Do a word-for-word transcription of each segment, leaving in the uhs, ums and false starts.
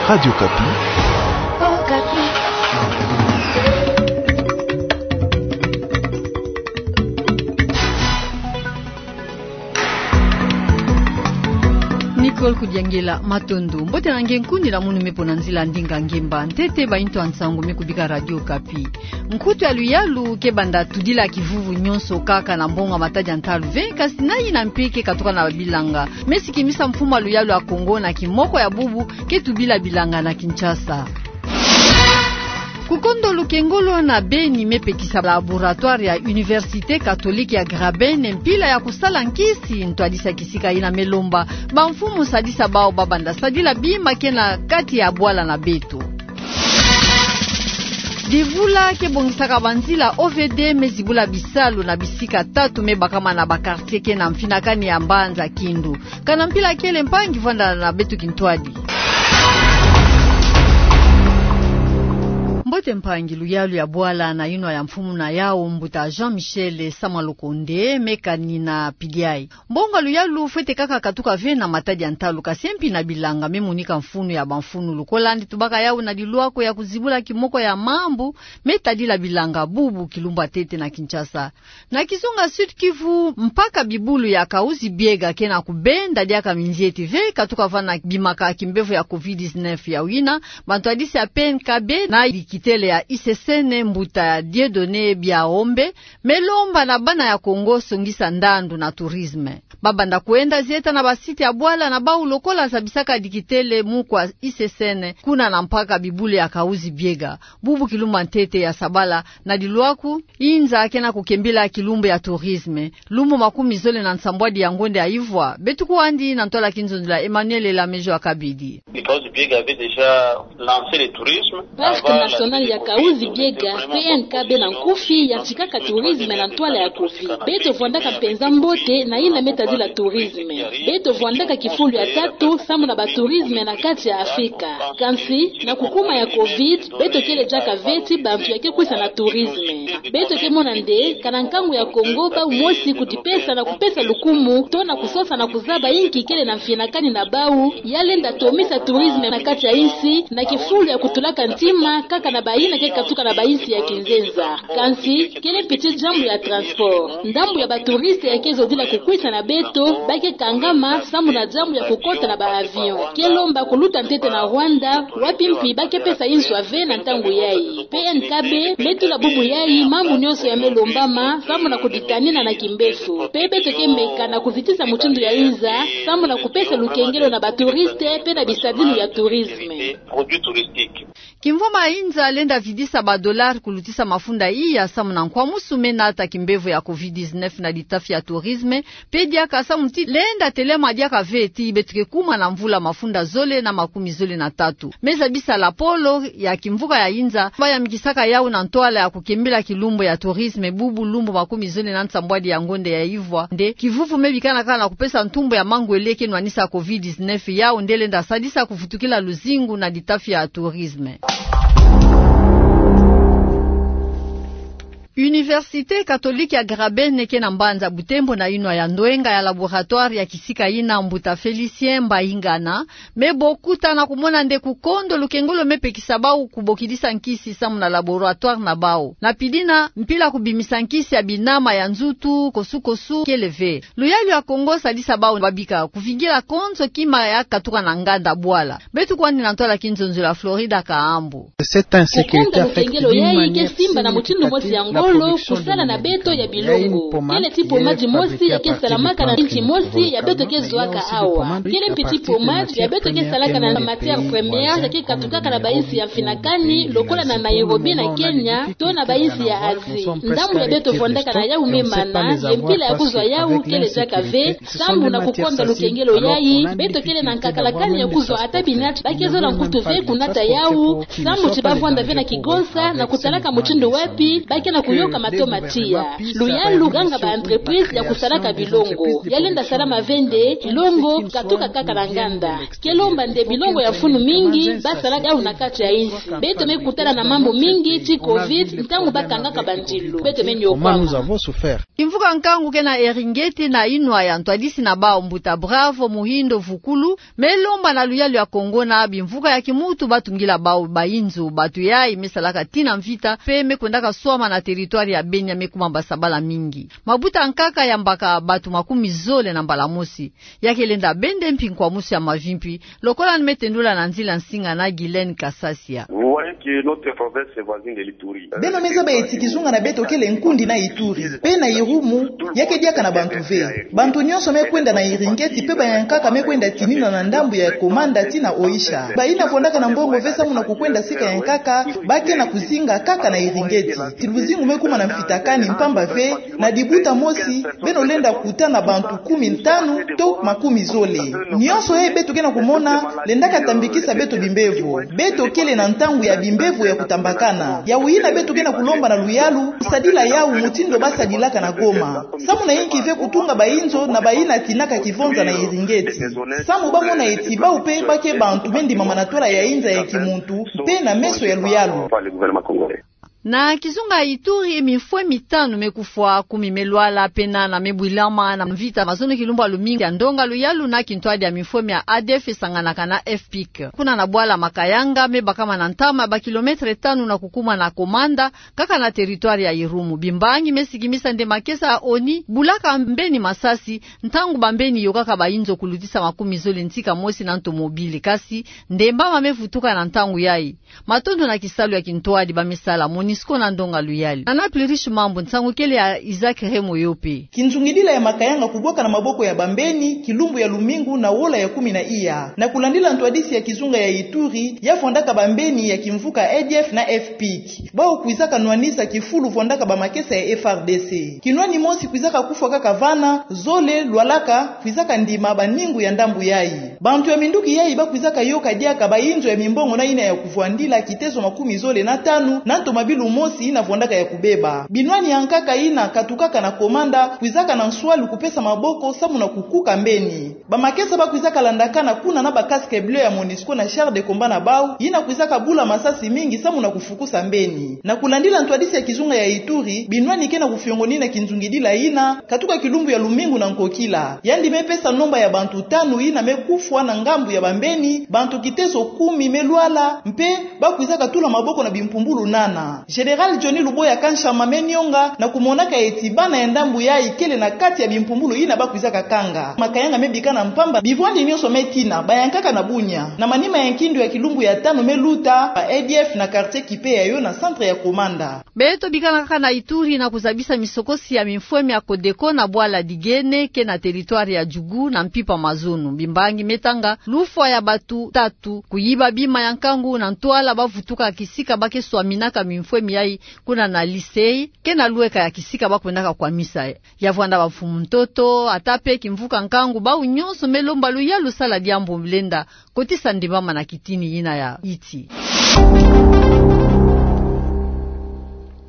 Radio Okapi. Nicole Kudiangela, matondo. Mbote na nge, nkuni la munu me pona nzila ndinga ngemba ntete bayi ntu ya nsangu me kubika Radio Okapi. Nkutu ya luyalu ke banda tudila kivuvu nyonso kaka na mbongo ya matadi ya ntalu ve, kasi na yina mpe ke katuka na bilanga me sikimisa mfumu ya luyalu ya Kongo na kimoko ya bubu ke tubila bilanga na Kinshasa. Kukondo lukengolo na beni me pekisa laboratoire ya Université Catholique ya Graben mpila ya kusala nkisi. Ntwadisi ya kisika yina me lomba bamfumu sadisa bawu ba banda sadila bima ke na kati ya bwala na beto. Divula ke bongisaka banzila O V D me zibula bisalu na bisika tatu me bakama na ba quartier ke na mfinakani ya mbanza Kindu. Kana mpila kele, mpangi, vwanda na beto kintwadi. Mbote mpangi, luyalu ya bwala na yinwa ya mfumu na yawu, mbuta Jean Michel Sama Lukonde, me kanina piliai. Mbongo ya luyalu fwete kaka katuka ve na matadi ya ntalu, kasi mpi na bilanga me monika mfunu ya bamfunu. Lukolandi tubaka yawu na dilwako ya kuzibula kimoko ya mambu me tadila bilanga bubu kilumbu ya ntete na Kinshasa. Na kizunga Sud-Kivu, mpaka bibulu ya Kahuzi-Biega ke na kubenda diaka minzieti ve, katuka vana bimaka kimbevo ya covid dix-neuf. Ya wina, bantwadisi ya P N K B na dikitele ya I C C N, mbuta Dieudonné Biaombe, me lomba na bana ya Kongo songisa ndandu na tourisme. Ba banda kwenda zieta na ba site ya bwala na bawu lokola zabisaka dikitele mukwa I C C N kuna na mpaka bibulu ya Kahuzi-Biega. Bubu kilumbu ya ntete ya sabala, na dilwako, inza ke na kukembila kilumbu ya tourisme, lumbu makumi zole na nsambwadi ya ngonde ya ivwa. Beto kwandi na ntwala kinzonzolo ya Emmanuel Elamejo Akabidi. Because Biega avait déjà lancé le tourisme. Parc national ya Kahuzi-Biega, P N K B na nkufi, yantikaka tourisme na ntwala ya covid. Beto vwandaka mpenza mbote na yina me tadila tourisme. Beto vwandaka kifulu ya tatu samu na ba tourisme na kati ya Afrika. Kansi, na kukuma ya covid, beto kele diaka ve ti bantu ya ke kwisa na tourisme. Beto ke mona nde, kana nkangu ya Kongo bawu mosi kudipesa na kupesa lukumu, to na kusosa na kuzaba inki kele na mfinakani na bawu, ya lenda tomisa tourisme na kati ya insi, na kifulu ya kutulaka ntima kaka na bayina ke katuka na bayinsi ya kinzenza. Kansi, kele mpi ti diambu ya transport. Ndambu ya ba touristes ya ke zodila kukwisa na beto, ba ke kangama samu na diambu ya kukota na ba avion. Ke lomba kuluta ntete na Rwanda, wapi mpi ba ke pesa inswa ve na ntangu yayi. P N K B me tula bubu yayi mambu nyonso ya me lombama, samu na kuditanina na kimbeso. Mpe beto ke meka na kuzitisa mutindu ya inza, samu na kupesa lukengelo na ba touristes, mpe na bisadulu ya tourisme. Produits touristiques. Kimvwama ya inza lenda vidisa ba dollars kulutisa mafunda iya samu na nkwamusu me nata kimbevo ya covid dix-neuf na litafi ya tourisme, mpe diaka samu ti lenda telema diaka ve ti beto ke kuma na mvula mafunda zole na makumi zole na tatu. Me zabisa lapolo ya kimvuka ya inza, ba yamikisaka yawu na ntwala ya kukembila kilumbu ya tourisme bubu lumbu makumi zole na nsambwadi ya ngonde ya ivwa, nde kivuvu me bikana kaka na kupesa ntumbu ya mangwele ke nwanisa covid dix-neuf, yawu nde lenda sadisa kuvutukila luzingu na litafi ya tourisme. Université Catholique ya Graben ke na mbanza Butembo na yinwa ya ndwenga ya laboratoire ya kisika yina, mbuta Félicien Mbaingana, me bokuta na kumona nde kukondo lukengolo me pekisa bawu kubokidisa nkisi samu na laboratoire na bawu. Na pidina, mpila kubimisa nkisi ya binama ya nzutu kosukosu kele ve. Luyalu ya Kongo sadisa bawu babika kuvingila konzo kima ya katuka na nganda bwala. Beto kwandi na ntwala kinzonzolo ya Florida Kahambu. Kukondo lukengelo yayi ke simba na mutindu mosi ya ngolo kusala na beto ya bilongo. Kele ti pommade mosi ya ke salamaka na nsi mosi ya beto ke zwaka awa. Kele mpi ti pommade ya beto ke salaka na matière première ya ke katukaka na bayinsi ya mfinakani, lokola na Nairobi na Kenya, to na bayinsi ya Asie. Ndambu ya beto vwandaka na yawu me mana, ye mpila ya kuzwa yawu kele diaka ve, samu na kukonda lukengelo yayi, beto kele na nkakalakani ya kuzwa ata binati ba ke zola nkutu ve kunata yawu, samu ti ba vwanda ve na kigonsa, na kutalaka mutindu wapi ba ke na ku Yoka matoma tiya. Luyalu ganga ba entreprise ya kusalaka bilongo. Ya lenda salama ve nde longo katuka kaka na nganda. Ke lomba nde bilongo ya mfunu mingi ba salaka yawu na kati ya insi. Beto me kutana na mambu mingi ti covid, ntangu ba kangaka bandilu. Beto me niokwama. Kimvuka nkangu ke na Eringeti na inwa ya ntwadisi na bawu mbuta Bravo Muhindo Vukulu, me lomba na luyalu ya Kongo na bimvuka ya kimuntu ba tungila bawu bayinzo, bantu yayi me salaka tii na mvita, mpe me kwendaka swama na territoire ya Beni ya me kuma mbasabala mingi. Mabuta nkaka ya mbaka bantu makumi zole na mbala mosi. Ya ke lenda bende mpi nkwamusu ya mavimpi, lokola ni me tendula na nzila nsinga na Guylaine Kasasia. Vous voyez que notre province voisine de l'Ituri. Beno me zaba eti kizunga na beto kele nkundi na Ituri, mpe na Irumu, ya ke diaka na bantu ve. Bantu nyonso me kwenda na Iringeti, mpe bayankaka me kwenda tinina na ndambu ya Komanda tii na Oicha. Bayina vwandaka na mbongo ve samu na kukwenda sika yankaka, ba ke na kuzinga kaka na Iringeti. Ti luzingu me kuma na mfitakani mpamba ve, na dibuta mosi, beno lenda kuta na bantu kumi ntanu to makumi zole. Nyonso yayi beto ke na kumona, lendaka tambikisa beto bimbevo. Beto kele na ntangu ya bimbevo ya kutambakana. Yawu yina beto ke na kulomba na luyalu, kusadila yawu mutindu ba sadilaka na Goma. Samu na yinki ve kutunga bayinzo na bayina tinaka kivonza na Iringeti. Samu ba mona eti bawu mpe ba ke bantu me ndimama na twala ya inza ya kimuntu, mpe na meso ya luyalu. Na kizunga Ituri, mifwe mitanu me kufwa, kumi me lwala, mpe nana me bwilama na mvita mazono kilumbu ya lumingu ya ndonga luyalu na kintwadi ya mifwe mia A D F esanganaka na F P I C. Kuna na bwala Makayanga, me bakama na ntama ba kilometre tanu na kukuma na Komanda, kaka na territoire ya Irumu. Bimbangi me sikimisa nde makesa ya ONI bulaka mbeni masasi, ntangu bambeni yokaka bayinzo kulutisa makumi zole ntika mosi na ntomobile. Kasi, ndemba ma me vutuka na ntangu yayi. Matondo na kisalu ya kintwadi ba me sala, MONUSCO na ndonga luyali. Nana Plurish Mambu, nsangu kele ya Isaac Remo Yope. Kinzungidila ya Makayanga kubwaka na maboko ya bambeni, kilumbu ya lumingu na wola ya kumi na iya. Na kulandila ntwadisi ya kizunga ya Ituri, ya vwandaka bambeni ya kimvuka A D F na F P I C. Bawu kwizaka nwanisa kifulu vwandaka bamakesa ya F R D C. Kinwani mosi kwizaka kufwa kaka vana, zole lwalaka, kwizaka ndima baningu ya ndambu yayi. Bantu ya minduki yayi ba kwizaka yoka diaka bayinzo ya mimbongo na yina ya kuvwandila kitezo makumi zole na tanu, na ntomabilu mosi yina vwandaka ya kubeba. Binwani ya nkaka yina katukaka na Komanda, kwizaka na nswalu kupesa maboko samu na kukuka mbeni. Bamakesa ba kwizaka landakana kuna na ba casque bleu ya MONUSCO na char de combat na bawu, yina kwizaka bula masasi mingi samu na kufukusa mbeni. Na kulandila ntwadisi ya kizunga ya Ituri, binwani ke na kufiongonina kinzungidila yina, katuka kilumbu ya lumingu na nkokila. Yandi me pesa nomba ya bantu tanu yina me kufwa na ngambu ya bambeni, bantu kitezo kumi me lwala, mpe ba kwizaka tula maboko na bimpumbulu nana. Général Johnny Luboya Kanshama me nionga na kumonaka eti bana ya ndambu yayi kele na kati ya bimpumbulu yina ba kwizaka kanga. Makayanga me bikana mpamba, bivwandi nyonso me tina, bayankaka na bunya. Na manima ya nkindu ya kilumbu ya tanu me luta, ba A D F na quartier Kipe ya yo na centre ya Komanda. Beto bikana kaka na Ituri na kuzabisa misokosi ya mifwe mia Codeco na bwala Digene ke na territoire ya Djugu na mpimpa mazono. Bimbangi me tanga lufwa ya bantu tatu, kuyiba bima ya nkangu na ntwala ba vutuka kisika ba ke swaminaka mifwe miayi kuna na lycée, ke na lweka ya kisika ba kwendaka kwamisa. Ya vwanda bamfumu ntoto, ata mpe kimvuka nkangu, bawu nyonso me lomba luyalu sala diambu lenda kotisa ndimama na kitini yina ya yiti.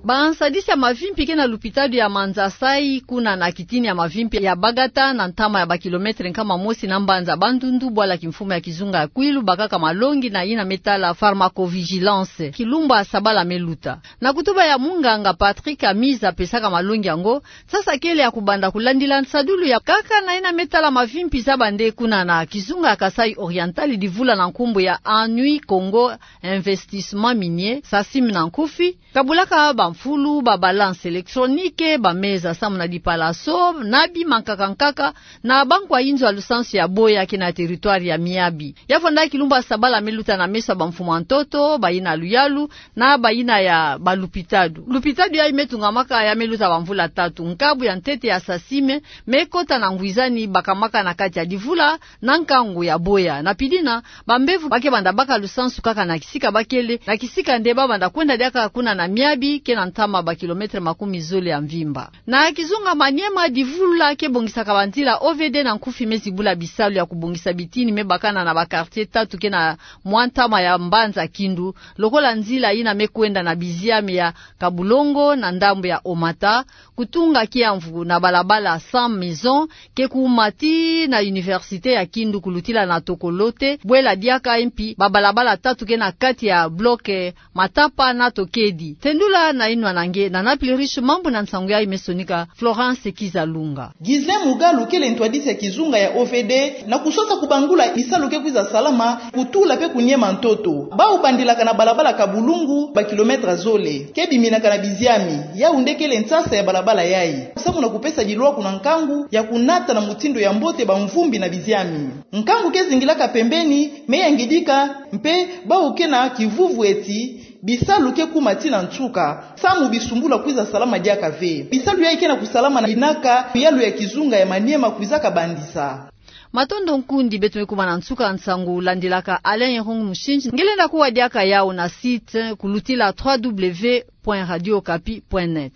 Bansadisi ya mavimpi ke na lupitalu ya Manzasai, kuna na kitini ya mavimpi ya Bagata, na ntama ya ba kilometre nkama mosi na mbanza Bandundu, bwala kimfumu ya kizunga ya Kwilu bakaka malongi na yina me tala pharmacovigilance. Kilumbu ya sabala me luta. Na kutuba ya munganga Patrick Amiza apesaka malongi yango, sasa kele ya kubanda kulandila nsadulu ya nkaka na yina me tala mavimpi za bande kuna na kizunga ya Kasaï Oriental, divula na nkumbu ya Anui Congo Investissement Minier, SACIM na nkufi, kabulaka bamfulu, ba balance électronique, bameza samu na dipalaso, na bima nkaka nkaka, na bankwa inzo ya lusansu ya Boya ke na territoire ya Miabi. Ya vwanda kilumbu ya sabala me luta na meso ya bamfumu ya ntoto, bayina luyalu, na bayina ya balupitalu. Lupitalu yayi me tungamaka ya me luta bamvula tatu. Nkabu ya ntete ya SACIM me kota na ngwizani bakamaka na kati ya divula na nkangu ya Boya. Na pidina, bambevo ba ke banda baka lusansu kaka na kisika ba kele, na kisika nde ba banda kwenda diaka kuna na Miabi, ke na ntama ba kilometre makumi zole ya mvimba. Na kizunga Maniema, divulula ke bongisaka banzila O V D na nkufi me zibula bisalu ya kobongisa bitini me bakana na ba quartier tatu ke na mwa ntama ya mbanza Kindu, lokola nzila yina me kwenda na biziami ya Kabulongo na ndambu ya Omata, kotunga kiamvu na balabala Cent Maisons, ke kuma tii na Université ya Kindu, kolutila na Tokolote, bwela diaka mpi ba balabala tatu ke na kati ya bloc Matapa na Tokedi. Tendula na inwa na nge na Napili Riche, mambu na nsangu yayi me sonika Florence Kizalunga. Ghislain Mugalu kele ntwadisi ya kizunga ya O V D na kusosa kubangula bisalu ke kwiza salama, kutula pe kuniema ntoto. Bawu bandilaka na balabala Kabulongo ba kilometre zole, ke biminaka na biziami, yawu nde kele nsasa ya balabala yayi. Samu na kupesa bilwaku na nkangu ya kunata na mutindu ya mbote bamvumbi na biziami. Nkangu ke zingilaka pembeni, me yangidika, mpe bawu ke na kivuvu eti bisalu ke kuma tii na nsuka, samu bisumbula kwiza salama diaka ve. Bisalu yayi ke na kusalama na inaka yalu ya kizunga ya Maniema kwizaka bandisa. Matondo nkundi, beto me kuma na nsuka nsangu, landilaka Alain Erong Mushindi, nge lenda kuwa diaka yawu na site, kolutila trois W point radio okapi point net.